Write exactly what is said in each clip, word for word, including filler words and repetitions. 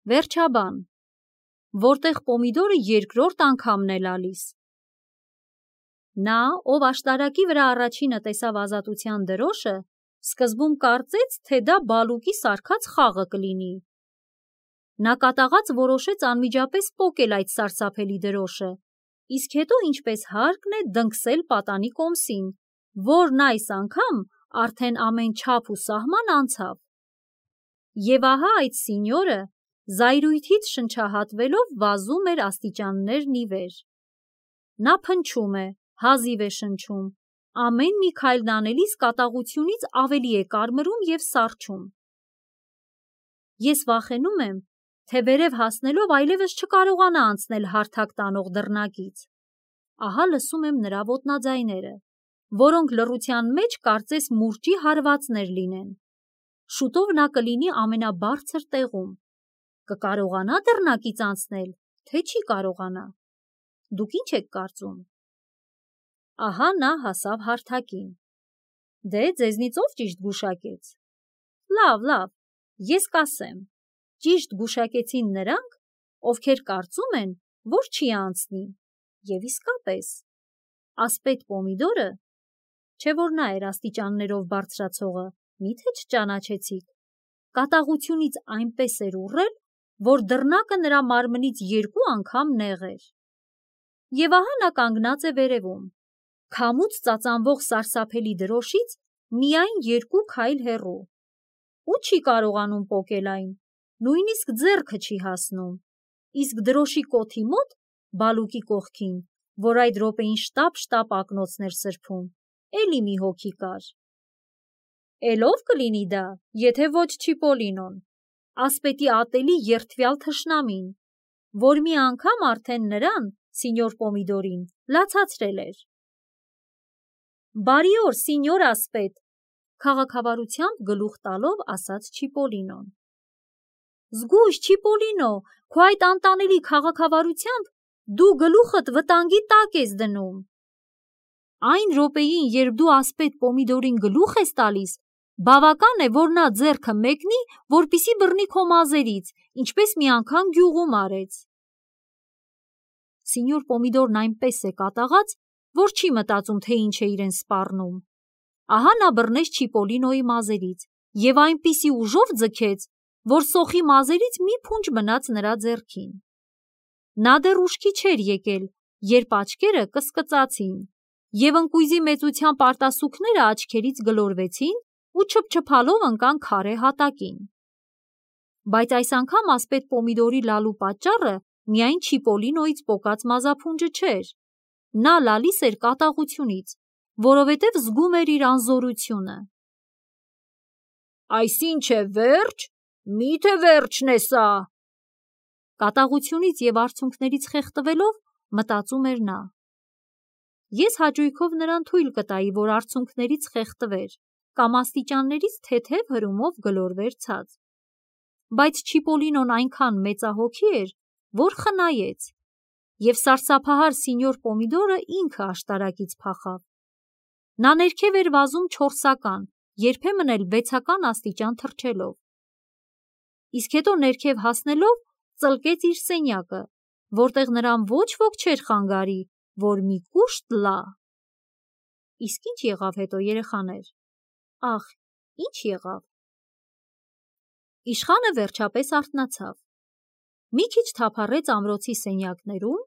Վերջաբան, որտեղ Պոմիդորը երկրորդ անգամն է լալիս։ Նա, ով աշտարակի վրա առաջինը տեսավ ազատության դրոշը, սկզբում կարծեց, թե դա Բալուկի սարքած խաղը կլինի։ Նա կատաղած որոշեց անմիջապես պոկել այդ սարսափելի դրոշը, իսկ հետո ինչպես հարկն է դնքսել պատանի կոմսին, որն այս անգամ արդեն ամեն չափ ու սահման անցավ։ Եվ ահա այդ սինյորը զայրույթից շնչահատվելով վազում էր աստիճաններն ի վեր։ Նա փնչում է, հազիվ է շնչում, ամեն մի քայլն անելիս կատաղությունից ավելի է կարմրում և սառչում։ Ես վախենում եմ, թե վերև հասնելով այլևս չկարողանա անցնել հարթակ տանող դռնակից։ Ահա լսում եմ նրա ոտնաձայները, որոնք լռության մեջ կարծես մուրճի հարվածներ լինեն։ Շուտով նա կլինի ամենաբարձր տեղում։ Կկարողանա դռնակից անցնել, թե չի կարողանա։ Դուք ինչ եք կարծում։ Ահա նա հասավ հարթակին։ Դե, ձեզնից ով ճիշտ գուշակեց։ Լավ, լավ, ես կասեմ։ Ճիշտ գուշակեցին նրանք, ովքեր կարծում են, որ չի անցնի։ Եվ իսկապես, ասպետ Պոմիդորը, չէ որ նա էր աստիճաններով բարձրացողը, մի՞թե չճանաչեցիք, կատաղությունից այնպես էր ուռել, որ դռնակը նրա մարմնից երկու անգամ նեղ էր։ Եվ ահա նա կանգնած է վերևում, քամուց ծածանվող սարսափելի դրոշից միայն երկու քայլ հեռու, ու չի կարողանում պոկել այն, նույնիսկ ձեռքը չի հասնում, իսկ դրոշի կոթի մոտ, Բալուկի կողքին, որ այդ րոպեին շտապ-շտապ ակնոցներ սրբում, էլի մի հոգի կար։ Էլ ով կլինի դա, եթե ոչ Չիպոլինոն, ասպետի ատելի երդվյալ թշնամին, որ մի անգամ արդեն նրան, սինյոր Պոմիդորին, լացացրել էր։ Բարի օր, սինյոր ասպետ, քաղաքավարությամբ գլուխ տալով ասաց Չիպոլինոն։ Զգույշ, Չիպոլինո, քո այդ անտանելի քաղաքավարությամբ դու գլուխդ վտանգի տակ ես դնում։ Այն րոպեին, երբ դու ասպետ Պոմիդորին գլուխ ես տալիս, բավական է, որ նա ձեռքը մեկնի, որպեսզի բռնի քո մազերից, ինչպես մի անգամ գյուղում արեց։ Սինյոր Պոմիդորն այնպես է կատաղած, որ չի մտածում, թե ինչ է իրեն սպառնում։ Ահա նա բռնեց Չիպոլինոյի մազերից և այնպիսի ուժով ձգեց, որ սոխի մազերից մի փունջ մնաց նրա ձեռքին։ Նա դեռ ուշքի չէր եկել, երբ աչքերը կսկծացին, և ընկույզի մեծությամբ արտասուքները աչքերից գլորվեցին ու չփչփալով ընկան քարե հատակին։ Բայց այս անգամ ասպետ Պոմիդորի լալու պատճառը միայն Չիպոլինոյից պոկած մազափունջը չէր։ Նա լալիս էր կատաղությունից, որովհետև զգում էր իր անզորությունը։ Այսինչ է վերջ, միթե վերջն է սա։ Կատաղությունից և արցունքներից խեղդվելով մտածում էր նա։ Ես հաճույքով նրան թույլ կտայի, որ արցունքներից խեղդվեր կամ աստիճաններից թեթև հրումով գլորվեր ցած։ Բայց Չիպոլինոն այնքան մեծահոգի էր, որ խնայեց, և սարսափահար սինյոր Պոմիդորը ինքը աշտարակից փախավ։ Նա ներքև էր վազում չորսական, երբեմն էլ վեցական աստիճան թռչելով։ Իսկ հետո ներքև հասնելով ծլկեց իր սենյակը, որտեղ նրան ոչ ոք չէր խանգարի, որ մի կուշտ լա։ Իսկ ինչ եղավ հետո, երեխաներ։ Ախ, ինչ եղավ։ Իշխանը վերջապես արթնացավ։ Մի քիչ թափառեց ամրոցի սենյակներում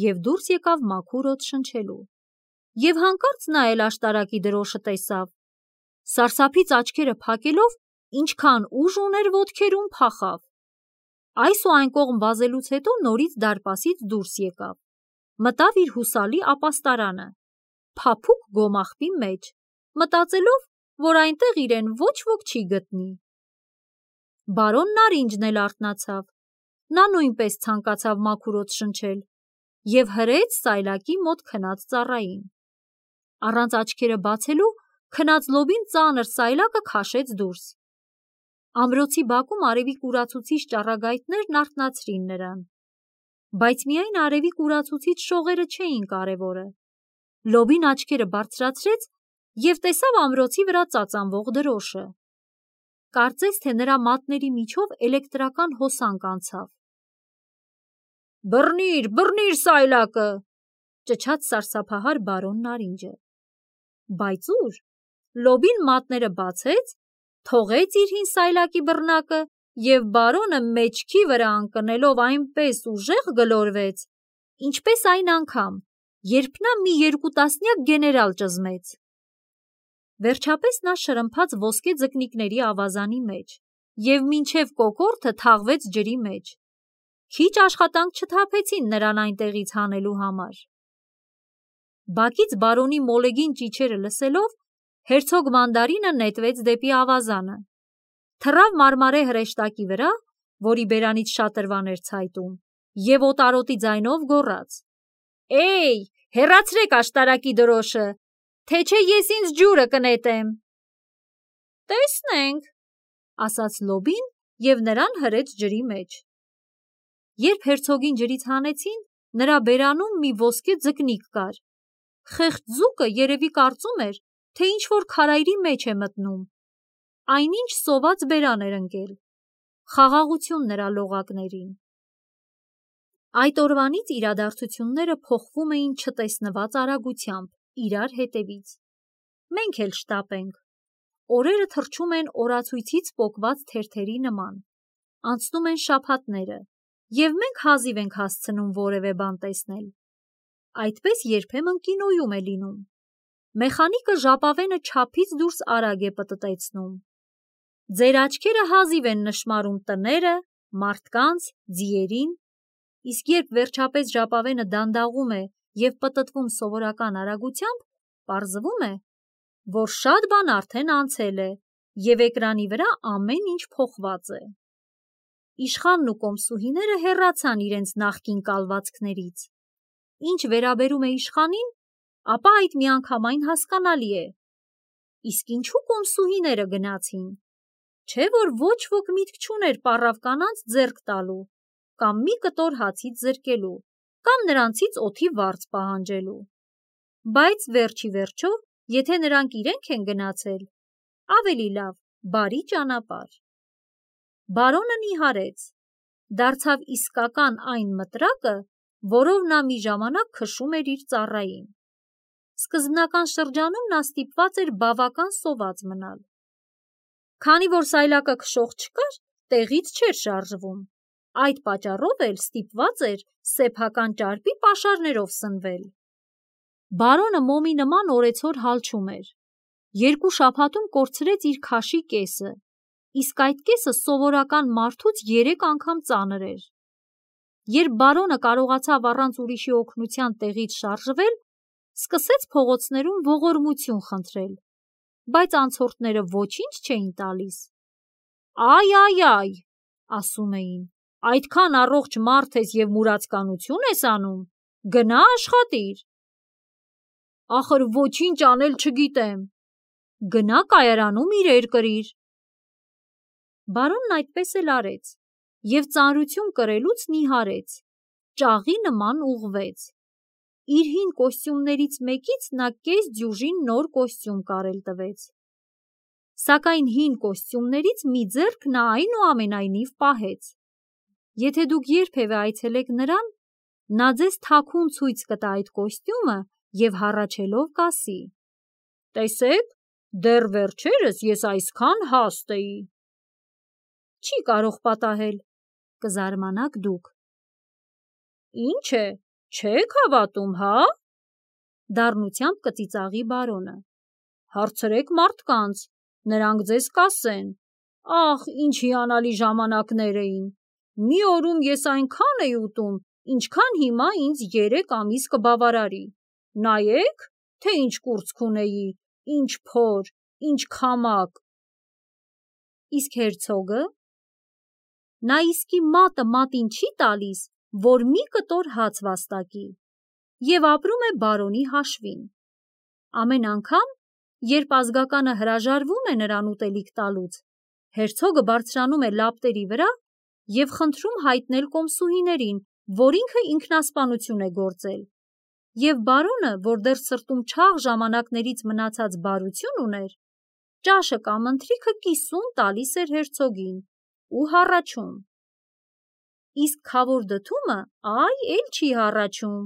և դուրս եկավ մաքուր օդ շնչելու։ Եվ հանկարծ նա էլ աշտարակի դրոշը տեսավ։ Սարսափից աչքերը փակելով, ինչքան ուժ ուներ ոտքերում, փախավ։ Այս ու այն կողմ վազելուց հետո նորից դարպասից դուրս եկավ։ Մտավ իր հուսալի ապաստարանը, փափուկ գոմաղբի մեջ, մտածելով, որ այնտեղ իրեն ոչ ոք չի գտնի։ Բարոն Նարինջն էլ արթնացավ։ Նա նույնպես ցանկացավ մաքուր օդ շնչել և հրեց սայլակի մոտ քնած ծառային։ Առանց աչքերը բացելու քնած լոբին ծանր սայլակը քաշեց դուրս։ Ամրոցի բակում արևի կուրացուցիչ ճառագայթներն արթնացրին նրան։ Բայց միայն արևի կուրացուցիչ շողերը չէին կարևորը։ Լոբին աչքերը բարձրացրեց և տեսավ ամրոցի վրա ծածանվող դրոշը։ Կարծես թե նրա մատների միջով էլեկտրական հոսանք անցավ։ Բռնիր, բռնիր սայլակը, ճչաց սարսափահար բարոն Նարինջը։ Բայց ուր։ Լոբին մատները բացեց, թողեց իր հին սայլակի բռնակը և բարոնը մեջքի վրա ընկնելով այնպես ուժեղ գլորվեց, ինչպես այն անգամ, երբ նա մի երկու տասնյակ գեներալ ճզմեց։ Վերջապես նա շրմփաց ոսկե ձկնիկների ավազանի մեջ և մինչև կոկորդը թաղվեց ջրի մեջ։ Քիչ աշխատանք չթափեցին նրան այնտեղից հանելու համար։ Բակից բարոնի մոլեգին ճիչերը լսելով, հերցոգ Մանդարինը նետվեց դեպի ավազանը, թռավ մարմարե հրեշտակի վրա, որի բերանից շատրվան էր ցայտում, և օտարոտի ձայնով գոռաց. Էյ, հեռացրեք աշտարակի դրոշը, թե չէ ես ինձ ջուրը կնետեմ։ Տեսնենք, ասաց Լոբին և նրան հրեց ջրի մեջ։ Երբ հերցոգին ջրից հանեցին, նրա բերանում մի ոսկե ձկնիկ կար։ Խեղճ ձուկը երևի կարծում էր, թե ինչ-որ քարայրի մեջ է մտնում։ Այնինչ սոված բերան էր ընկել։ Խաղաղություն նրա լողակներին։ Այդ օրվանից իրադարձությունները փոխվում էին չտեսնված արագությամբ իրար հետևից։ Մենք էլ շտապ ենք։ Օրերը թռչում են օրացույցից պոկված թերթերի նման։ Անցնում են շաբաթները, և մենք հազիվ ենք հասցնում որևէ բան տեսնել։ Այդպես երբեմն կինոյում է լինում։ Մեխանիկը ժապավենը չափից դուրս արագ է պտտեցնում։ Ձեր աչքերը հազիվ են նշմարում տները, մարդկանց, ձիերին, իսկ երբ վերջապես ժապավենը դանդաղում է և պտտվում սովորական արագությամբ, պարզվում է, որ շատ բան արդեն անցել է, և էկրանի վրա ամեն ինչ փոխված է։ Իշխանն ու կոմսուհիները հեռացան իրենց նախկին կալվածքներից։ Ինչ վերաբերում է իշխանին, ապա այդ միանգամայն հասկանալի է։ Իսկ ինչու կոմսուհիները գնացին։ Չէ՞ որ ոչ ոք միտք չուներ պառավ կանանց ձեռք տալու, կամ մի կտոր հացից զրկելու, կամ նրանցից օդի վարձ պահանջելու։ Բայց վերջ ի վերջո, եթե նրանք իրենք են գնացել, ավելի լավ, բարի ճանապարհ։ Բարոնը նիհարեց, դարձավ իսկական այն մտրակը, որով նա մի ժամանակ քշում էր իր ծառային։ Սկզբնական շրջանում նա ստիպված էր բավական սոված մնալ։ Քանի որ սայլակը քշող չկար, տեղից չէր շարժվում, այդ պատճառով էլ ստիպված էր սեփական ճարպի պաշարներով սնվել։ Բարոնը մոմի նման օրեցօր հալչում էր։ Երկու շաբաթում կորցրեց իր քաշի կեսը, իսկ այդ կեսը սովորական մարդուց երեք անգամ ծանր էր։ Երբ բարոնը կարողացավ առանց ուրիշի օգնության տեղից շարժվել, սկսեց փողոցներում ողորմություն խնդրել, բայց անցորդները ոչինչ չէին տալիս։ Այ, այ, այ, ասում էին, այդքան առողջ մարդ ես և մուրացկանություն ես անում, գնա աշխատիր։ Ախր ոչինչ անել չգիտեմ, գնա կայարանում իրեր կրիր։ Բարոնն այդպես էլ արեց և ծանրություն կրելուց նիհարեց, ճաղի նման ուղղվեց։ Իր հին կոստյումներից մեկից նա կես դյուժին նոր կոստյում կարել տվեց։ Սակայն հին կոստյումներից մի ձեռք նա այնուամենայնիվ պահեց։ Եթե դուք երբևէ այցելեք նրան, նա ձեզ թաքուն ցույց կտա այդ կոստյումը և հառաչելով կասի. Տեսեք, դեռ վերջերս ես այսքան հաստ էի։ Չի կարող պատահել, կզարմանաք դուք։ Ինչ է, չեք հավատում, հա։ Դառնությամբ կծիծաղի բարոնը։ Հարցրեք մարդկանց, նրանք ձեզ կասեն. Ախ, ինչ հիանալի ժամանակներ էին։ Մի օրում ես այնքան էի ուտում, ինչքան հիմա ինձ երեք ամիս կբավարարի։ Նայեք, թե ինչ կուրծք ունեի, ինչ փոր, ինչ քամակ։ Իսկ հերցոգը։ Նա իսկի մատը մատին չի տալիս, որ մի կտոր հաց վաստակի, և ապրում է բարոնի հաշվին։ Ամեն անգամ, երբ ազգականը հրաժարվում է նրան ուտելիք տալուց, հերցոգը բարձրանում է լապտերի վրա և խնդրում հայտնել կոմսուհիներին, որ ինքը ինքնասպանություն է գործել, և բարոնը, որ դեռ սրտում չաղ ժամանակներից մնացած բարություն ուներ, ճաշը կամ ընթրիքը կիսում տալիս էր հերցոգին ու հառաչում։ Իսկ Խավոր Դդումը այ էլ չի հառաչում,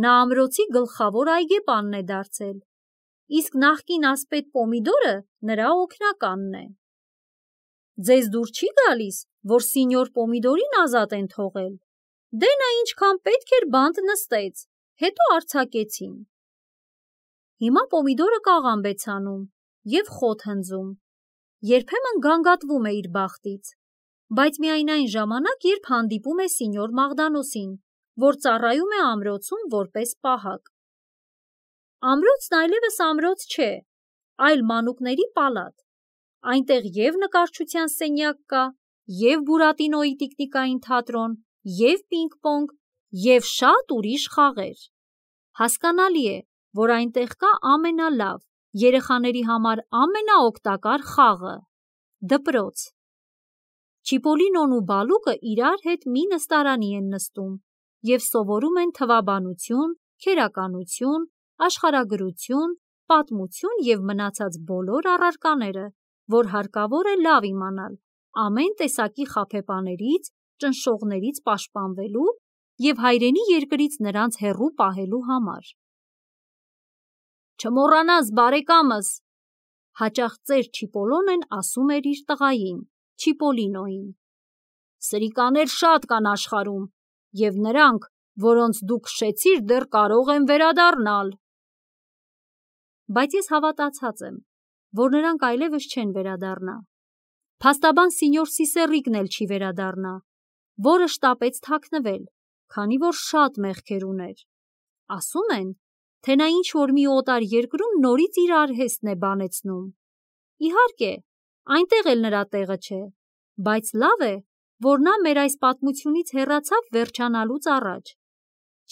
նա ամրոցի գլխավոր այգեպանն է դարձել, իսկ նախկին ասպետ Պոմիդորը նրա օգնականն է։ Ձեզ դուր չի գալիս, որ սինյոր Պոմիդորին ազատ են թողել։ Դե նա ինչքան պետք էր բանտ նստեց, հետո արձակեցին։ Հիմա Պոմիդորը կաղամբ է ցանում և խոտ հնձում, երբեմն գանգատվում է իր բախտից, բայց միայն այն ժամանակ, երբ հանդիպում է սինյոր Մաղդանոսին, որ ծառայում է ամրոցում որպես պահակ։ Ամրոցն այլևս ամրոց չէ, այլ մանուկների պալատ։ Այնտեղ և նկարչության սենյակ կա, և Բուրատինոյի տիկնիկային թատրոն, և պինգ-պոնգ, և շատ ուրիշ խաղեր։ Հասկանալի է, որ այնտեղ կա ամենալավ, երեխաների համար ամենաօգտակար խաղը՝ դպրոց։ Չիպոլինոն ու Բալուկը իրար հետ մի նստարանի են նստում և սովորում են թվաբանություն, քերականություն, աշխարհագրություն, պատմություն և մնացած բոլոր առարկաները, որ հարկավոր է լավ իմանալ ամեն տեսակի խաբեբաներից, ճնշողներից պաշտպանվելու և հայրենի երկրից նրանց հեռու պահելու համար։ «Չմոռանաս, բարեկամս», հաճախ ծեր Չիպոլոնեն ասում էր իր տղային՝ Չիպոլինոյին, «սրիկաներ շատ կան աշխարհում, և նրանք, որոնց դու քշեցիր, դեռ կարող են վերադառնալ»։ Բայց ես հավատացած եմ, որ նրանք այլևս չեն վերադառնա։ Փաստաբան սինյոր Սիսեռիկն էլ չի վերադառնա, որը շտապեց թաքնվել, քանի որ շատ մեղքեր ուներ։ Ասում են, թե նա ինչ-որ մի օտար երկրում նորից իր արհեստն է բանեցնում։ Իհարկե, այնտեղ էլ նրա տեղը չէ, բայց լավ է, որ նա մեր այս պատմությունից հեռացավ վերջանալուց առաջ։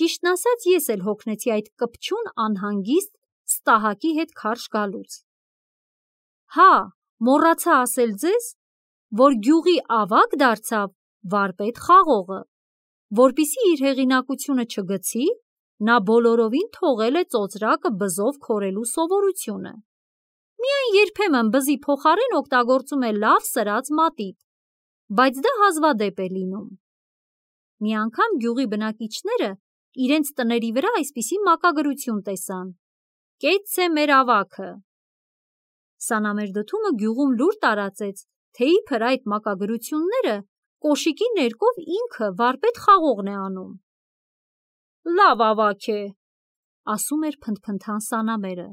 Ճիշտն ասած, ես էլ հոգնեցի այդ կպչուն անհանգիստ Ստահակի հետ քարշ գալուց։ Հա, մոռացա ասել ձեզ, որ գյուղի ավագ դարձավ վարպետ Խաղողը, որպեսզի իր հեղինակությունը չգցի, նա բոլորովին թողել է ծոծրակը բզով քորելու սովորությունը։ Միայն երբեմն բզի փոխարեն օգտագործում է լավ սրած մատիտ, բայց դա հազվադեպ է լինում։ Մի անգամ գյուղի բնակիչները իրենց տների վրա այսպիսի մակագրություն տեսան. «Կեցցե մեր ավագը»։ Սանամեր Դդումը գյուղում լուր տարածեց, թե իբր այդ մակագրությունները կոշիկի ներկով ինքը վարպետ Խաղողն է անում։ «Լավ ավագ է», ասում էր փնթփնթան Սանամերը,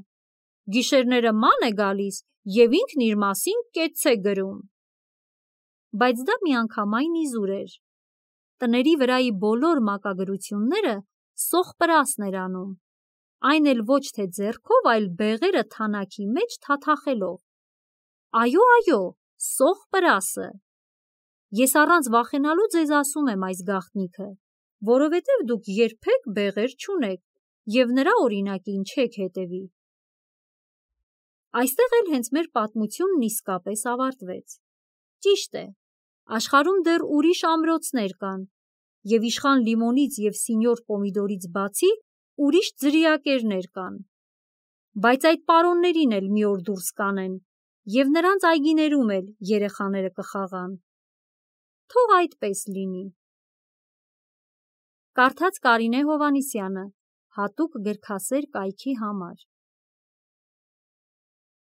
«գիշերները ման է գալիս և ինքն իր մասին կետց է գրում»։ Բայց դա միանգամայն իզուր էր։ Տների վրայի բոլոր մակագրությունները Սոխպրասն էր անում, այն էլ ոչ թե ձեռքով, այլ բեղերը թանաքի մեջ թաթախելով։ Այո, այո, Սոխպրասը։ Ես առանց վախենալու ձեզ ասում եմ այս գաղտնիքը, որովհետև դուք երբեք բեղեր չունեք և նրա օրինակին չեք հետևի։ Այստեղ էլ հենց մեր պատմությունն իսկապես ավարտվեց։ Ճիշտ է, աշխարհում դեռ ուրիշ ամրոցներ կան, և իշխան Լիմոնից և սինյոր Պոմիդորից բացի ուրիշ ձրիակերներ կան, բայց այդ պարոններին էլ մի օր դուրս կանեն, և նրանց այգիներում էլ երեխաները կխաղան։ Թող այդպես լինի։ Կարդաց Կարինե Հովհաննիսյանը, հատուկ գրքասեր կայքի համար։